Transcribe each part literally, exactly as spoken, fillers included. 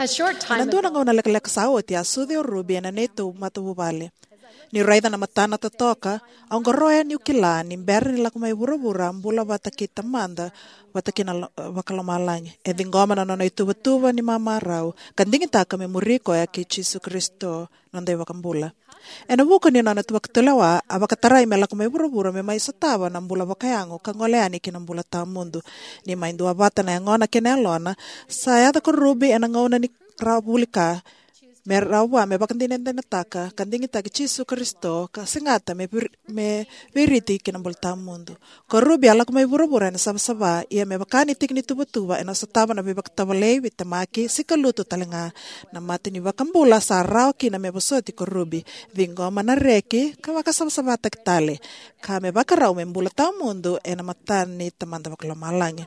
A short time Ena dua na ago, gauna lekaleka sa oti, a sucu o Ruby ena neitou matavuvale. Niu raica na matana totoka, au qoroya niu kila ni bera ni lako mai vuravura, a bula vata kei Tamada, vata kei na lo-, vakalomalagi. E ciqoma na nona ituvatuva ni mamarau, ka digitaka me muri koya kei Jisu Karisito, noda iVakabula. Ena vuku ni nona tu vakatulewa, a vakatarai me lako mai vuravura me mai sotava na bula vakayago ka gole yani ki na bula tawamudu. Ni mai duavata na yagona kei na yalona, sa yaco ko Ruby ena gauna ni rawa vuli ka, me rawa me vakadinadinataka ka digitaki Jisu Karisito, ka segata me vir-, me viriti ki na bula tawamudu. Ko Ruby a lako mai vuravura ena savasava, ia me vaka ni tiki ni tuvatuva, ena sotava na veivakatovolei, veitemaki, sikalutu talega. Na mata ni iVakabula sa rawa kina me vosoti ko Ruby, ciqoma na reki, ka vakasavasavataki tale, ka me vakarau me bula tawamudu ena mata ni Tamada vakalomalagi.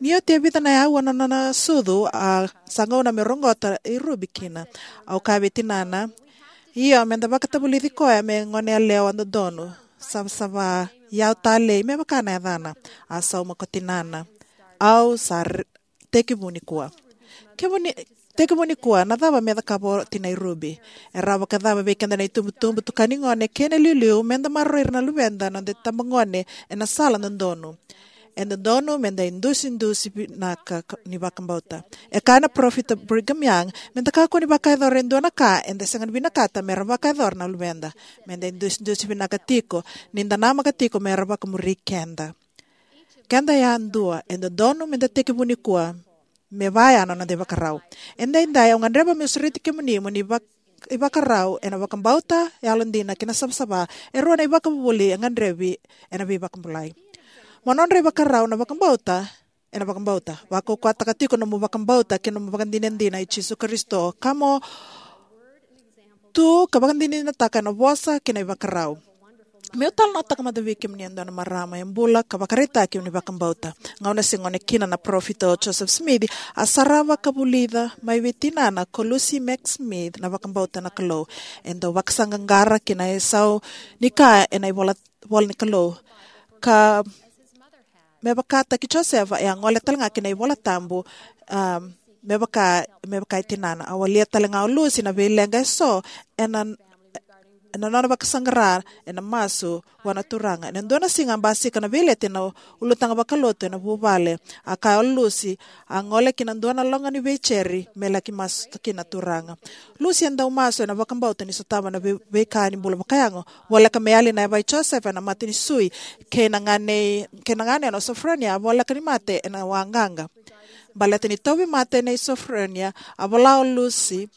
Ni oti e vica na aua na nona sucu, a sa gauna me roqota i Ruby kina. Au kaya vei tinana, "Io, meda vakatavulici koya me gone yalewa dodonu, savasava, iyau talei, me vaka na yacana." A sauma ko tinana, "Au sa re-, tekivu nikua." Kemuni, tekivu nikua, na cava me cakava o tinai Ruby? E rawa vakacava vei keda na itubutubu, tukani gone, kei na iliuliu, meda maroroi ira na luveda, noda itabagone, ena sala dodonu? E dodonu meda idusidusi vinaka ka-, ni vakabauta. E kaya na parofita Brigham Young, meda kakua ni vakayacora e dua na ka eda sega ni vinakata mera vakayacora na luveda. Meda idusidusi vinaka tiko, nida namaka tiko mera vakamuri keda. Keda yadua, e dodonu meda tekivu nikua, me vaya na noda ivakarau. Edaidai au gadreva meu sureti kemuni mo ni vak-, ivakarau ena vakabauta, yalodina kei na savasava, e rua na ivakavuvuli e gadrevi ena veivakabulai. Mo nodra ivakarau na vakabauta, ena vakabauta. Vakaukauwataka tiko nomu vakabauta kei nomu vakadinadina i Jisu Karisito, ka mo tu ka vakadinadinataka ena vosa kei na ivakarau. Meu talanoataka mada vei kemuni e dua na marama e bula ka vakaraitaki ni vakabauta. Gauna se gone kina na parofita o Joseph Smith, a sarava ka vulica mai vei tinana ko Lucy Mack Smith na vakabauta na Kalou. E dau vakasaqaqara ki na isau ni ka ena ivola, vola ni Kalou. Ka me vakataki Josefa, e a gole talega ki na iVola Tabu, um, me vaka, me vaka e tinana. A walia talega o Lucy na veileqa eso ena, ena nona vakasaqara ena masu vua na Turaga. Ena dua na siga a basika na veileti ena ulutaga vakalotu ena vuvale. A kaya o Lucy, a gole ki na dua na loga ni veijeri me laki masu kina na Turaga. Lucy e dau masu ena vakabauta ni sotava na vei-, veika ni bula vakayago. Voleka me yali na yavai Josefa ena mata ni sui, kei na gane, kei na ganena o Sofronia, a voleka ni mate ena waqaqa. Baleta ni tauvimate nei Sofronia, a vola o Lucy,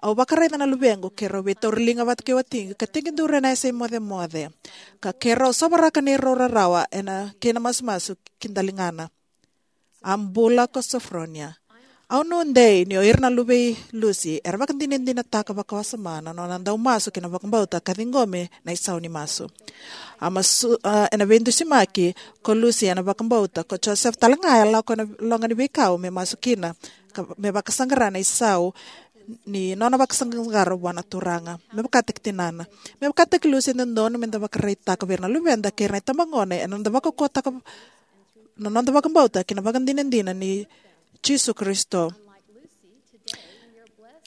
"Au vakaraica na luvequ, keirau veitauriliga vata kei watiqu, ka tekiduru ena yasa imocemoce. Ka keirau sovaraka neirau rarawa ena, kei na masumasu ki daligana." A bula ko Sofronia. Au nuidei ni o ira na luve i Lucy era vakadinadinataka vakawasoma na nona dau masu kei na vakabauta ka ciqomi na isau ni masu. A masu, a, ena veidusimaki ko Lucy ena vakabauta, ko Joseph talega e lako ena loga ni veikau me masu kina, ka, me vakasaqara na isau ni nona vakasaqasaqara vua na Turaga. Me vakataki tinana. Me vakataki Lucy, e dodonu meda vakaraitaka vei ira na luveda kei ira na itabagone ena noda vakaukauwataka na noda vakabauta kei na vakadinadina ni Jisu Karisito.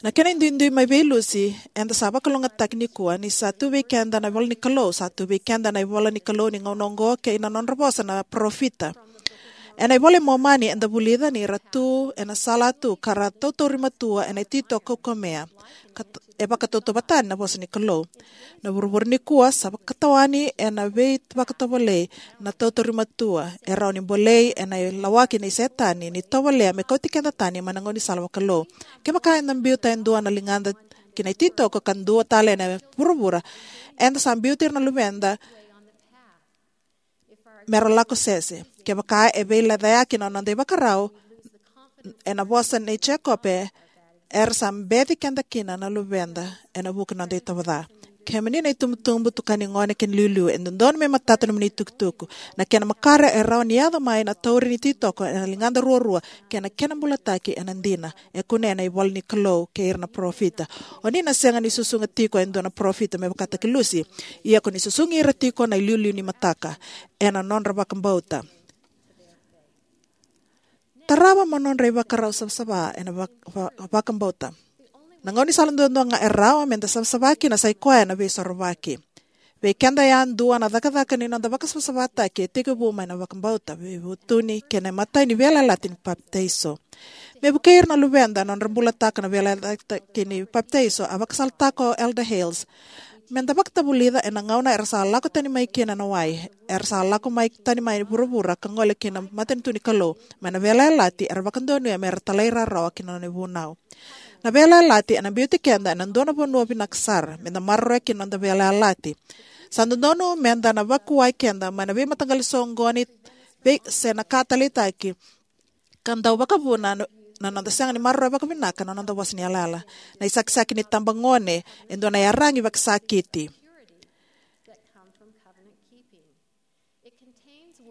Na kena iduidui mai vei Lucy, eda sa vakalougatataki nikua, ni sa tu vei keda na ivola ni Kalou, sa tu vei keda na ivola ni Kalou ni gauna oqo kei na nodra vosa na parofita. Ena iVola i Momani eda vulica ni ra tu ena salatu ka ra tautauri matua ena ititoko kaukamea. Ka t-, e vakatautauvatataki na vosa ni Kalou. Na vuravura nikua sa vakatawani ena veivakatovolei, na tautauri matua, e rawa ni bolei ena ilawaki nei Setani ni tovolea me kauti keda tani mai na gaunisala vakalou. Kevaka eda biuta e dua na ligada ki na ititoko ka dua tale ena vuravura, eda sa biuti ira na luveda mera lako sese. Kevaka e veilecayaki na noda ivakarau, ena vosa nei Jekope, era sa beci keda kina na luveda ena vuku ni noda itovo ca. Kemuni na itubutubu, tukani gone kei na iliuliu, e dodonu me matata nomuni itukutuku. Na kena makare, e rawa ni yaco mai na tauri ni ititoko ena ligada ruarua, kei na kena bulataki ena dina. E kunea ena ivola ni Kalou kei ira na parofita. O ni na sega ni susuga tiko e dua na parofita me vakataki Lucy, ia ko ni susugi ira tiko na iliuliu ni mataka ena nodra vakabauta. Tarava mo nodra ivakarau savasava ena vak- va- vakabauta. Na gauna ni sala duadua ga e rawa meda savasava kina sai koya na Veisorovaki. Vei keda yadua, na cakacaka ni noda vakasavasavataki e tekivu mai na vakabauta, veivutuni kei na imatai ni veiyalayalati ni papitaiso. Me vukei ira na luveda nodra bulataka na veiyalayalati ni papitaiso, a vakasalataka o Elder Hales: Meda vakatavulica ena gauna era sa lako tani mai kina na wai, era sa lako mai tani mai vuravura ka gole ki na matanitu ni Kalou, mai na veiyalayalati era vakadonuya mera talairawarawa ki na nona ivunau. Na veiyalayalati ena biuti keda ena dua na vanua vinaka sara meda maroroya kina noda veiyalayalati. Sa dodonu meda na vakuwai keda mai na veimataqali soqoni vei se na ka taleitaki ka dau vakavuna na, na noda sega ni maroroya vakavinaka na noda vosa ni yalayala. Na isakisaki ni tabagone e dua na iyaragi vakasakiti.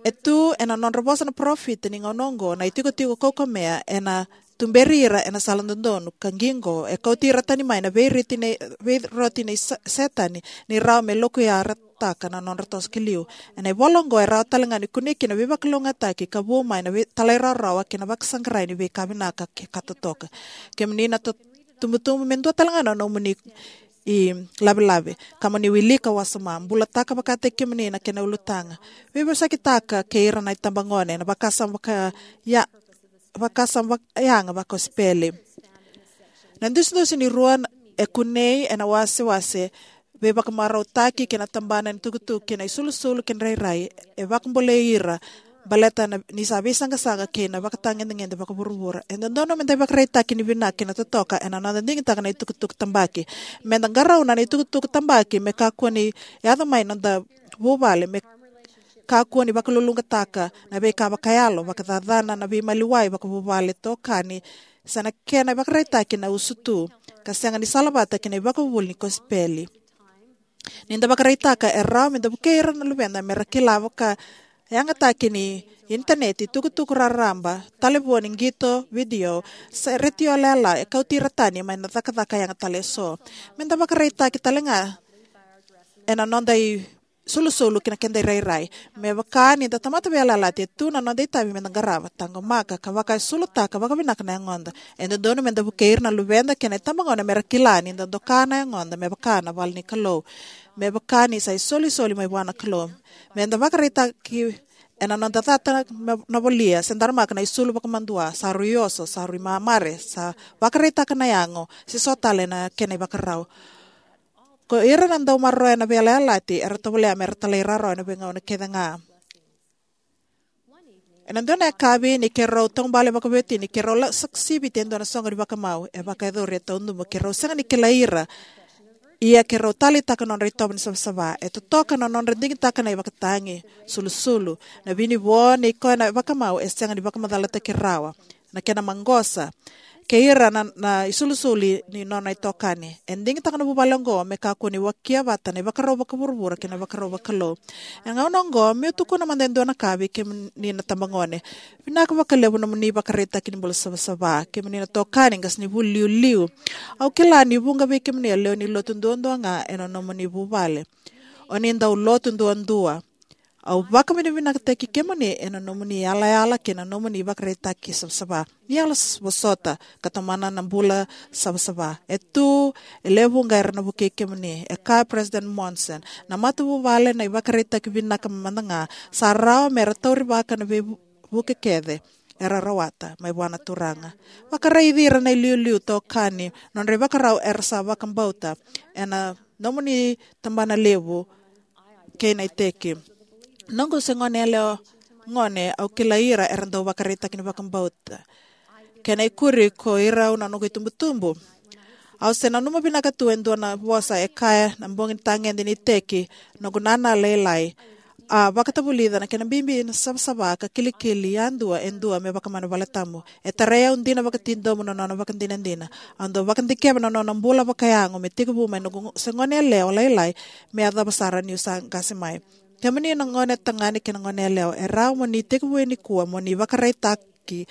E tu ena nodra vosa na parofita ni gauna oqo na itikotiko kaukamea ena tuberi ira ena sala dodonu ka qiqo, e kauti ira tani mai na veiriti nei, veiroti nei sa- Setani ni rawa me lokuyarataka na nodra toso ki liu. Ena ivola oqo e rawa talega ni kunei kina veivakalougatataki ka vu mai na vei- talairawarawa kei na vakasaqarai ni veika vinaka ke ka totoka. Kemuni na to- tubutubu, me dua talega na nomuni ilavelave ka mo ni wilika wasoma. Bulataka vakataki kemuni na kena ulutaga. Veivosakitaka kei ira na itabagone na vakasama vaka ya- vakasama vaka yaga vakosipeli. Na dusidusi ni rua e kunei ena wasewase veivakamarautaki kei na tabana ni tukutuku kei na isulusulu kei na rairai e vakabolei ira baleta na, ni sa veisaqasaqa kei na vakatagedegede vakavuravura. E dodonu meda ivakaraitaki ni vinaka kei na totoka ena noda digitaka na itukutuku tabaki. Meda qarauna na itukutuku tabaki me kakua ni yaco mai noda vuvale, me kakua ni vakaluluqataka na veika vakayalo, vakacacana na veimaliwai vakavuvale, tokani, se na kena ivakaraitaki na usutu ka sega ni salavata kei na ivakavuvuli ni kosipeli. Nida vakaraitaka e rawa meda vukei ira na luveda mera kila vakayagataki ni initaneti, tukutuku raraba, talevoni, qito, vidio, se retio yalayala, e kauti ira tani mai na cakacaka yaga tale eso. Meda vakaraitaki talega ena noda isulusulu kei na keda irairai. Me vaka nida tamata veiyalayalati, e tu na noda itavi meda qarava, taqomaka ka vakaisulutaka vakavinaka na yagoda. E dodonu meda vukei ira na luveda kei na itabagone mera kila nida doka na yagoda me vaka na vale ni Kalou, me vaka ni sa isolisoli mai vua na Kalou. Meda vakaraitaki ena noda cata na, na volia se daramaka na isulu vakamadua, sa rui oso, sa rui mamare, sa vakaraitaka na yago, se so tale na kena ivakarau. Ko ira na dau maroroya na veiyalayalati era tovolea mera talairawarawa ena veigauna kece ga. Ena dua na yakavi ni keirau taubale vakaveiwatini, keirau la- sa- siviti e dua na soqo ni vakamau. E vakayacori e taudubu keirau sega ni kilai ira, ia keirau taleitaka nodra itovo ni savasava. E totoka na nodra digitaka na ivakatagi, sulusulu. Na vinivo nei koya na vakamau e sega ni vakamacalataki rawa na kena maqosa kei ira na, na isulusulu ni nona itokani. E digitaka na vuvale oqo me kakua ni wakia vata na ivakarau vakavuravura kei na ivakarau vakalou. E gauna oqo, meu tukuna mada e dua na ka vei kemuni na tabagone. Vinaka vakalevu nomuni ivakaraitaki ni bula savasava. Kemuni na tokani, qasenivuli iliuliu, au kila ni vuqa vei kemuni a lewe ni lotu duadua ga ena nomuni vuvale. O ni dau lotu duadua. Au vakavinavinakataki kemuni ena nomuni yalayala kei na nomuni ivakaraitaki savasava. Ni yalo s- vosota ka tomana na bula savasava. E tu e lewe vuqa era na vukei kemuni. E kaya o President Monson, na matavuvale na ivakaraitaki vinaka mada ga, sa rawa mera taurivaka na veivuke kece era rawata mai vua na Turaga. Vakaraici ira na iliuliu, tokani, nodra ivakarau era sa vakabauta ena nomuni tabana levu kei na iteki. Noqu se gone yalewa gone, au kilai ira era dau vakaraitaki ni vakabauta. Kena ikuri, ko irau na noqu itubutubu. Au se nanuma vinaka tu e dua na vosa e kaya na bogi ni tagede ni iteki noqu nana lailai, a vakatavulica na kena bibi na savasava ka kilikili yadua e dua me vakamau ena valetabu. E tarai au dina vakatidomo na nona vakadinadina. Au dau vakadikeva na nona bula vakayago me tekivu mai noqu se gone yalewa lailai me yacova sara niu sa qase mai. Kemuni na gone tagane kei na gone yalewa, e rawa mo ni tekivu nikua mo ni vakaraitaki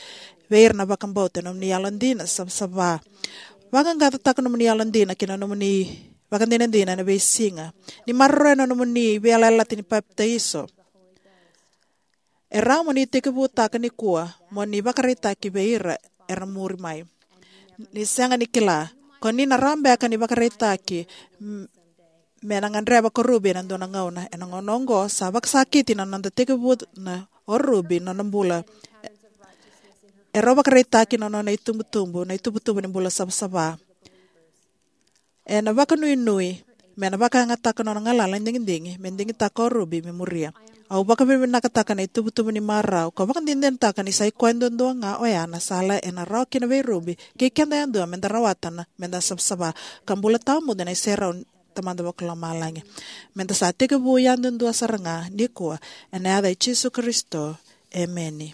vei ira na vakabauta ena nomuni yalodina savasava. Vaqaqacotaka nomuni yalodina kei na nomuni vakadinadina ena veisiga. Ni maroroya na nomuni veiyalayalati ni papitaiso. E rawa mo ni tekivutaka nikua mo ni vakaraitaki vei ira era muri mai. Ni sega ni kila, ko ni na rawa beka ni vakaraitaki m- me na gadreva ko Ruby ena dua na gauna. Ena gauna oqo sa vakasakiti na noda tekivuna o Ruby na nona bula. E rau vakaraitaki na nona itubutubu na itubutubu ni bula savasava. Ena vakanuinui me na vakayagataka nona galala ni digidigi me digitaka o Ruby me muria. Au vakavinavinakataka na itubutubu ni marau ka vakadinadinataka ni sa i koya duadua ga oya na sala ena rawa kina vei Ruby kei keda yadua me da rawata na me da savasava ka bula tawamudu ena iserau ni Tamada Vakalomalagi. Me da sa tekivu yadudua sara ga nikua, ena yaca i Jisu Karisito, emeni.